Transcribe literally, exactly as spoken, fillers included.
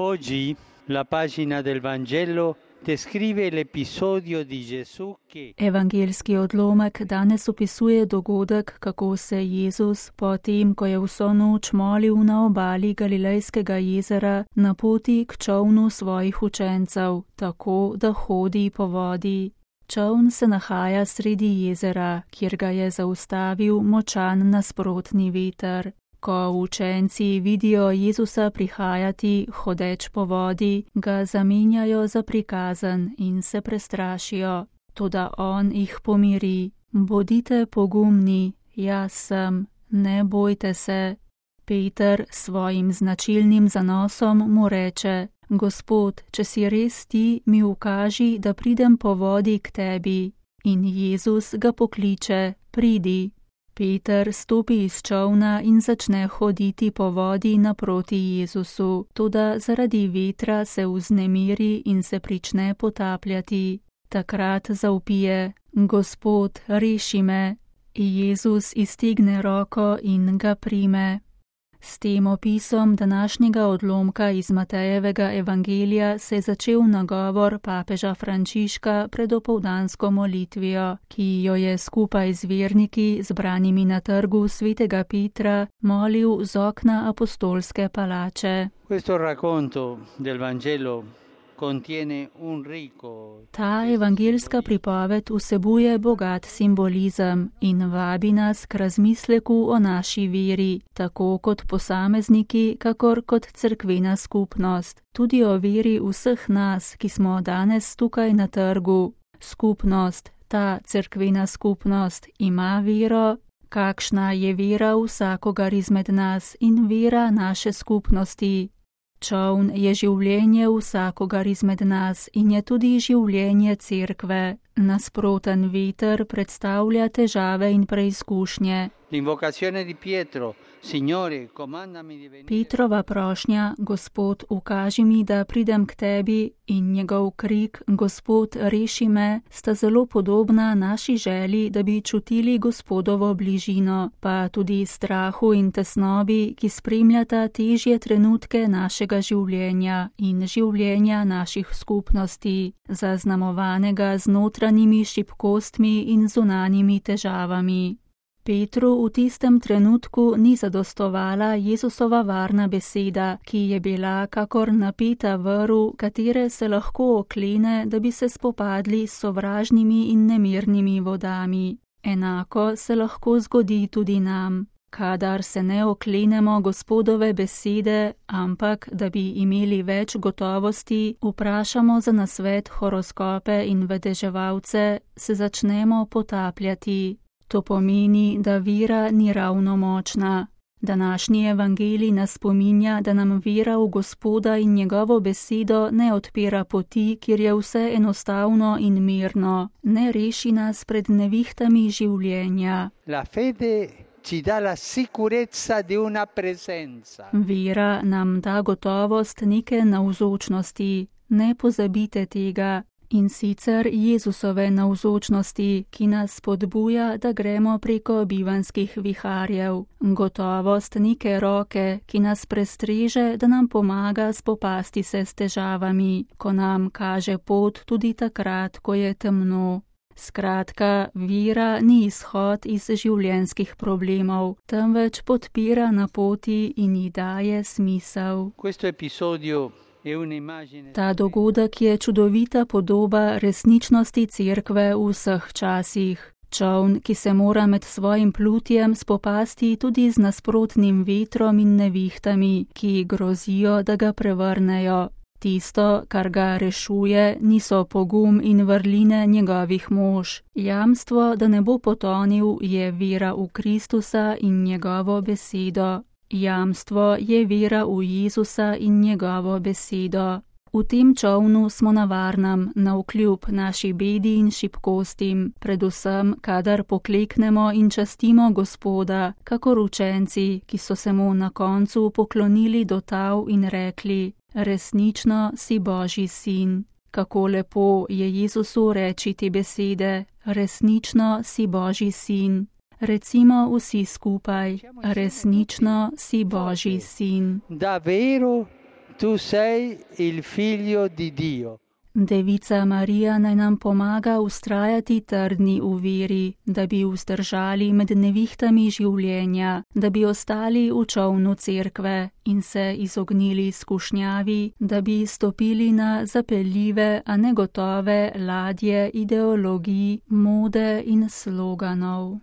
Oggi la pagina del Vangelo descrive l'episodio di Gesù che Evangelski odlomek danes opisuje dogodek, kako se Jezus, potem ko je vso noč molil na obali Galilejskega jezera, na poti k čolnu svojih učencev, tako da hodi po vodi. Čoln se nahaja sredi jezera, kjer ga je zaustavil močan nasprotni veter. Ko učenci vidijo Jezusa prihajati, hodeč po vodi, ga zamenjajo za prikazen in se prestrašijo. Toda on jih pomiri. Bodite pogumni, jaz sem, ne bojte se. Peter s svojim značilnim zanosom mu reče: Gospod, če si res ti, mi ukaži, da pridem po vodi k tebi. In Jezus ga pokliče: Pridi. Peter stopi iz čolna in začne hoditi po vodi naproti Jezusu, toda zaradi vetra se vznemiri in se prične potapljati. Takrat zavpije: Gospod, reši me. Jezus iztegne roko in ga prime. S tem opisom današnjega odlomka iz Matejevega evangelija se je začel nagovor papeža Frančiška pred opoldansko molitvijo, ki jo je skupaj z verniki, zbranimi na trgu svetega Petra, molil z okna apostolske palače. questo racconto del Vangelo contiene un ricco Ta evangelska pripoved vsebuje bogat simbolizem in vabi nas k razmisleku o naši veri, tako kot posamezniki, kakor kot cerkvena skupnost, tudi o veri vseh nas, ki smo danes tukaj na trgu. Skupnost, ta cerkvena skupnost, ima vero. Kakšna je vera vsakogar izmed nas in vera naše skupnosti? Čoln je življenje vsakogar izmed nas in je tudi življenje cerkve. Nasproten veter predstavlja težave in preizkušnje. L'invocazione di Pietro, Signore, comandami di venire. Petrova prošnja: Gospod, ukaži mi, da pridem k tebi, in njegov krik: Gospod, reši me, sta zelo podobna naši želji, da bi čutili Gospodovo bližino, pa tudi strahu in tesnobi, ki spremljata težje trenutke našega življenja in življenja naših skupnosti, zaznamovanega z notranjimi šibkostmi in zunanjimi težavami. Petru v tistem trenutku ni zadostovala Jezusova varna beseda, ki je bila kakor napeta vrv, katere se lahko oklene, da bi se spopadli s sovražnimi in nemirnimi vodami. Enako se lahko zgodi tudi nam. Kadar se ne oklenemo Gospodove besede, ampak da bi imeli več gotovosti, vprašamo za nasvet horoskope in vedeževalce, se začnemo potapljati. To pomeni, da vera ni ravno močna. Današnji evangelij nas spominja, da nam vera v Gospoda in njegovo besedo ne odpira poti, kjer je vse enostavno in mirno, ne reši nas pred nevihtami življenja. La fede ci dà la sicurezza di una presenza. Vera nam da gotovost neke navzočnosti. Ne pozabite tega. In sicer Jezusove navzočnosti, ki nas spodbuja, da gremo preko bivanskih viharjev. Gotovost neke roke, ki nas prestreže, da nam pomaga spopasti se s težavami, ko nam kaže pot tudi takrat, ko je temno. Skratka, vera ni izhod iz življenjskih problemov, temveč podpira na poti in ji daje smisel. Questo episodio Ta dogodek je čudovita podoba resničnosti cerkve v vseh časih. Čoln, ki se mora med svojim plutjem spopasti tudi z nasprotnim vetrom in nevihtami, ki grozijo, da ga prevrnejo. Tisto, kar ga rešuje, niso pogum in vrline njegovih mož. Jamstvo, da ne bo potonil, je vera v Kristusa in njegovo besedo. Jamstvo je vera v Jezusa in njegovo besedo. V tem čolnu smo na varnem, navkljub naši bedi in šibkostim, predvsem, kadar pokleknemo in častimo Gospoda, kakor učenci, ki so se mu na koncu poklonili do tal in rekli: Resnično si Božji sin. Kako lepo je Jezusu reči te besede: Resnično si Božji sin. Recimo vsi skupaj: Resnično si Božji sin. Davvero tu sei il figlio di Dio. Devica Marija naj nam pomaga ustrajati trdni v veri, da bi vzdržali med nevihtami življenja, da bi ostali v čolnu cerkve in se izognili skušnjavi, da bi stopili na zapeljive, a negotove ladje ideologij, mode in sloganov.